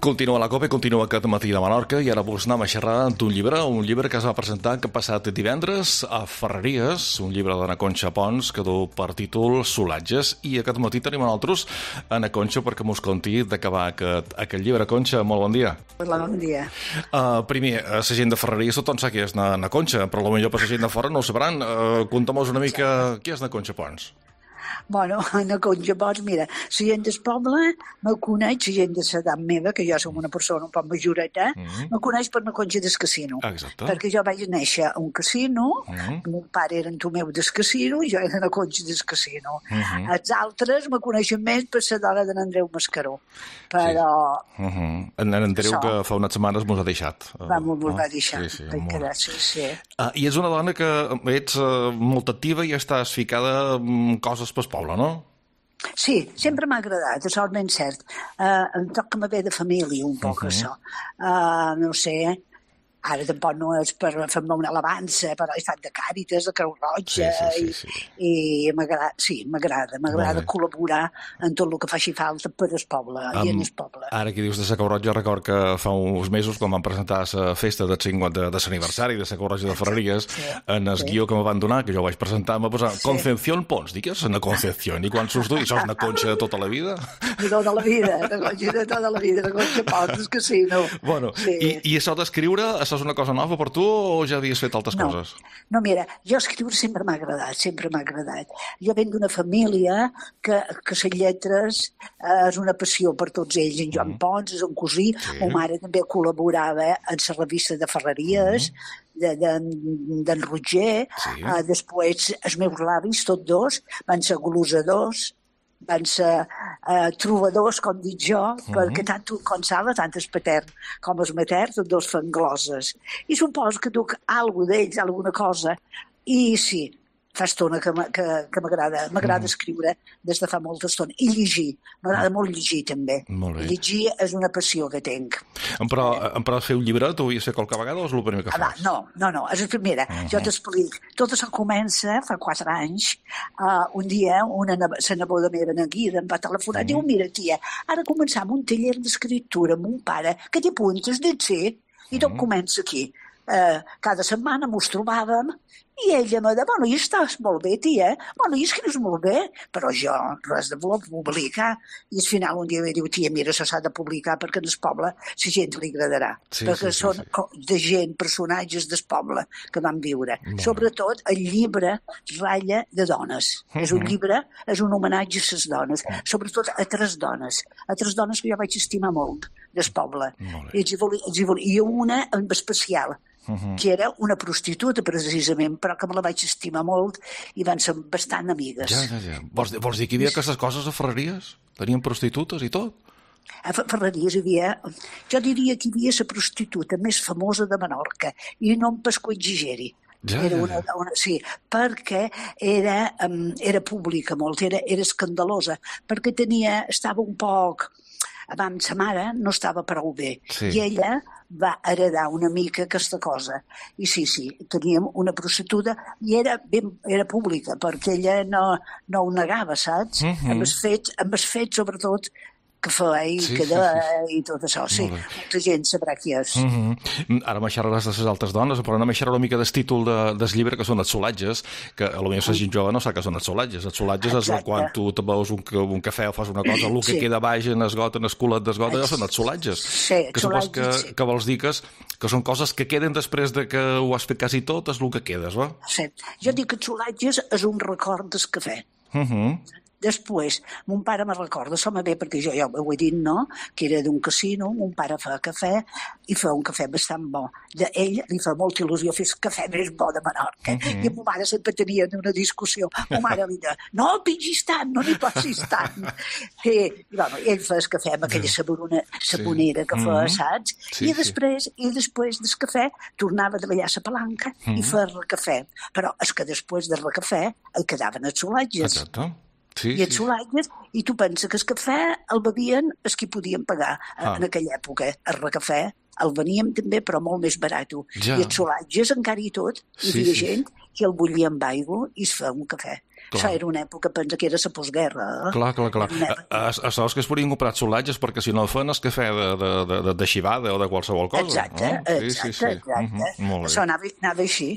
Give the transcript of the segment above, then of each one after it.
Continua la Copa i continua aquest matí de Menorca i ara vols anar a xerrar d'un llibre que es va presentar que passat divendres a Ferreries, un llibre d'Anna Conxa Pons que du per títol Solatges, i aquest matí tenim a nosaltres Anna Conxa perquè mos conti d'acabar aquest llibre. Conxa, molt bon dia. Hola, bon dia. Primer, la gent de Ferreries tothom sap qui és Anna Conxa, però potser per la gent de fora no ho sabran. Conta'm-nos una mica qui és Anna Conxa Pons. Bueno, Anna Conxa Pons, mira, la gent del poble me coneix, la gent de l'edat meva, que jo som una persona un poc majoreta, me coneix per Anna Conxa del casino. Exacte. Perquè jo vaig néixer a un casino, mon pare era en Tomeu del casino i jo era Anna Conxa del casino. Els altres me coneixen més per la dona d'en Andreu Mascaró. Però... En Andreu, que fa unes setmanes mos ha deixat. Mos va deixar. Sí. I ets una dona que ets molt activa i estàs ficada en coses pel poble, no? Sí, sempre m'ha agradat, això és ben cert. Em toca m'haver de família, un poc, això. No sé, ara tampoc no és per fer-me una alabança, però he estat de Càritas, de Creu Roja, i m'agrada col·laborar en tot el que faci falta per el poble i en el poble. Ara que dius de la Creu Roja, record que fa uns mesos, quan vam presentar la festa de l'aniversari de la Creu Roja de Ferreries, en el guió que me van donar, que jo vaig presentar, me posava Concepción Pons. Dic, és una Concepción? I quan surts tu? I sos una Conxa de tota la vida? De tota la vida, de Conxa Pons, del casino. Bueno, i això d'escriure, això és una cosa nova per tu o ja havies fet altres coses? No, mira, jo escriure sempre m'ha agradat. Jo venc d'una família que les lletres és una passió per tots ells. En Joan Pons és un cosí, ma mare també col·laborava en la revista de Ferreries, d'en Roger, després els meus avis, tots dos, van ser glosadors, van ser trobadors, com dic jo, perquè tant com Sala, tant el patern com el matern, tots dos fan gloses. I suposo que duc alguna d'ells, alguna cosa, i sí, fa estona que m'agrada escriure des de fa molta estona. I llegir, m'agrada molt llegir també. Llegir és una passió que tinc. Però fer un llibre t'ho havies fet qualque vegada o és el primer que fas? No, és la primera. Jo t'explico. Tot això comença fa 4 anys. Un dia, la neboda meva, Naguira, em va telefonar i diu, mira, tia, ara començam un taller d'escriptura amb un pare que t'hi apuntes, i tot comença aquí. Cada setmana mos trobàvem i ella me deia, bueno, i estàs molt bé, tia, bueno, i escrius molt bé, però jo res de voler publicar. I al final un dia em diu, tia, mira, això s'ha de publicar perquè en el poble la gent li agradarà, perquè són de gent, personatges del poble que van viure. Sobretot el llibre ratlla de dones. És un llibre, és un homenatge a les dones, sobretot a 3 dones que jo vaig estimar molt del poble. I una en especial, que era una prostituta, precisament, però que me la vaig estimar molt i van ser bastant amigues. Ja. Vols dir que hi havia aquestes coses a Ferreries? Tenien prostitutes i tot? A Ferreries hi havia... Jo diria que hi havia la prostituta més famosa de Menorca, i no em pesco exageri. Sí, perquè era pública molt, era escandalosa, perquè estava un poc... Abans sa mare no estava prou bé i ella va heredar una mica aquesta cosa. I sí, teníem una prostituta i era pública perquè ella no ho negava, saps? Amb el fet sobretot que feia i tot això. Sí, molta gent sabrà qui és. Ara me xerraràs de les altres dones, però anem a xerrar una mica del títol del llibre, que són els solatges, que potser la gent jove no sap que són els solatges. Els solatges és quan tu te beus un cafè o fas una cosa, el que queda baix en el got, en el culet del got, allò són els solatges. Que supos que vols dir que són coses que queden després de que ho has fet quasi tot, és el que quedes, va? Sí, jo dic que els solatges és un record del cafè. Després, mon pare me recorda, això me ve perquè jo ja ho he dit, no?, que era d'un casino, mon pare fa cafè i fa un cafè bastant bo. Ell li fa molta il·lusió fer el cafè més bo de Menorca. I amb ma mare sempre tenien una discussió. Ma mare li deia, no pingis tant, no n'hi passis tant. I ell fa el cafè amb aquella sabonera que fa, saps? I després del cafè tornava a treballar a la palanca i fer recafè. Però és que després del recafè el quedaven els solatges. Exacte. I els solatges, i tu penses que el cafè el bevien els qui podien pagar en aquella època. El recafè el veníem també, però molt més barat. I els solatges encara i tot, hi havia gent que el bullien amb aigua i es feia un cafè. Això era una època, pensa que era la postguerra. Clar. Saps que es podien comprar solatges perquè si no fan és cafè de xivada o de qualsevol cosa. Exacte. Això anava així.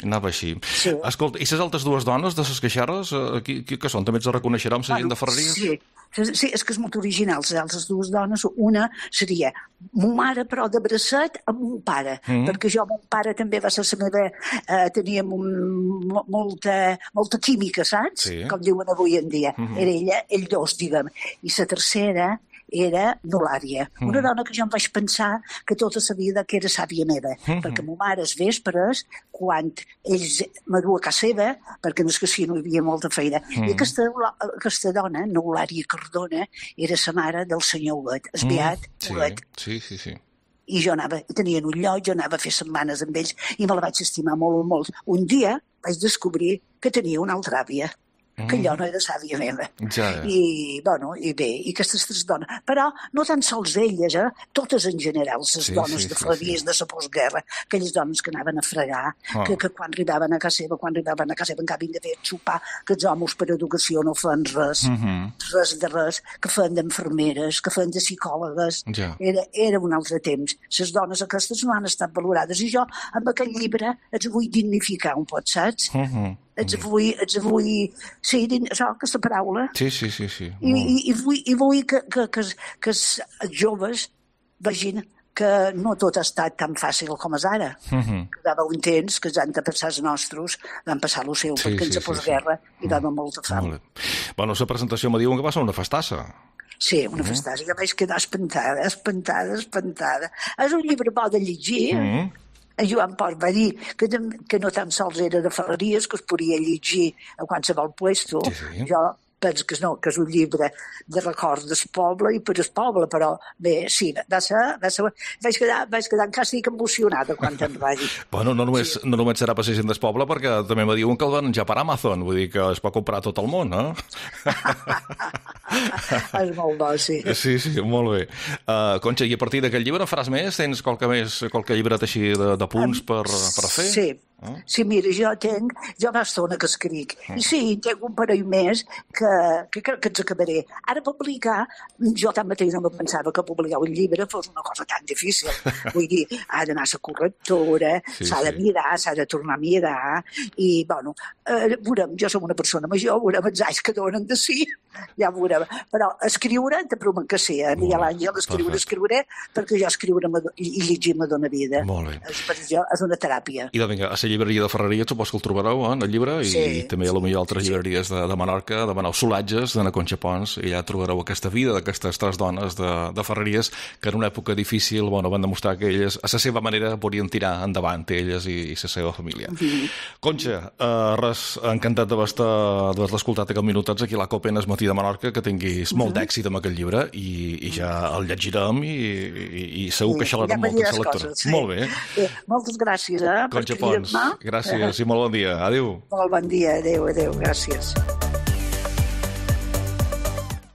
Sí. Escolta, i les altres dues dones de les queixarres, què són? També ens reconeixerem la gent de Ferreries? Sí, és que és molt original. Les altres dues dones, una seria mo mare, però de bracet, amb mon pare, perquè mon pare també va ser la meva... teníem molta química, saps? Sí. Com diuen avui en dia. Era ella, ell dos, diguem. I la tercera era n'Eulàlia, una dona que jo em vaig pensar que tota la vida que era sàvia meva, perquè ma mare als vespres, quan ells m'adua a casa seva, perquè no és que si no hi havia molta feina, i aquesta dona, n'Eulàlia Cardona, era la mare del senyor Huguet, el beat Huguet. Sí. I jo tenia un lloc, jo anava a fer setmanes amb ells i me la vaig estimar molt. Un dia vaig descobrir que tenia una altra àvia, que allò no era sàvia meva. I bé, i aquestes tres dones. Però no tan sols elles, totes en general, les dones de Ferreries de la postguerra, aquelles dones que anaven a fregar, que quan arribaven a casa seva, encara de fer xupar, que els homes per educació no feien res, res, que feien d'enfermeres, que feien de psicòlogues. Era un altre temps. Les dones aquestes no han estat valorades. I jo, amb aquest llibre, els vull dignificar un pot, saps? Ets vull... Sí, aquesta paraula. Sí. I vull que els joves vegin que no tot ha estat tan fàcil com és ara. Que hi va haver un temps que els han de passar els nostres, van passar el seu, perquè ens a postguerra hi va haver molta fam. Bueno, la presentació me diuen que va ser una festassa. Sí, una festassa. Jo vaig quedar espantada. És un llibre bo de llegir, en Joan Port va dir que no tan sols era de Ferreries, que es podia llegir a qualsevol puesto. Jo penso que no, que és un llibre de records del poble i per al poble, però bé, sí, vaig quedar quasi emocionada quan em va dir. Bueno, no només serà per la gent del poble, perquè també me diuen que el van ja per Amazon, vull dir que es pot comprar tot el món, És molt bo, sí. Sí, molt bé. Conxa, i a partir d'aquest llibre faràs més? Tens qualque llibret així de punts per fer? Sí, mira, jo fa estona que escric. I sí, tinc un parell més que ens acabaré. Ara publicar, jo tanmateix no me pensava que publicar un llibre fos una cosa tan difícil. Vull dir, ha d'anar a la correctora, s'ha de mirar, s'ha de tornar a mirar, i, bueno, veurem, jo som una persona major, veurem els anys que donen de sí, ja veurem. Però escriure, te promet que sí, Miguel Àngel, escriuré, perquè jo escriure i llegir me dona vida. Molt bé. Per jo és una teràpia. I doncs vinga, a la llibreria de Ferreries supos que el trobareu, en el llibre, i també a altres llibreries de Menorca, demaneu Solatges, d'Anna Conxa Pons, i ja trobareu aquesta vida d'aquestes tres dones de Ferreries que en una època difícil van demostrar que elles, a la seva manera, podien tirar endavant elles i la seva família. Conxa, res, encantat d'haver escoltat aquests minutets aquí a la COPE en el matí de Menorca, que tinguis molt d'èxit amb aquest llibre i ja el llegirem i segur que xalarem molt amb la lectura. Molt bé. Moltes gràcies, Conxa Pons, gràcies i molt bon dia. Adéu. Molt bon dia, adéu, gràcies.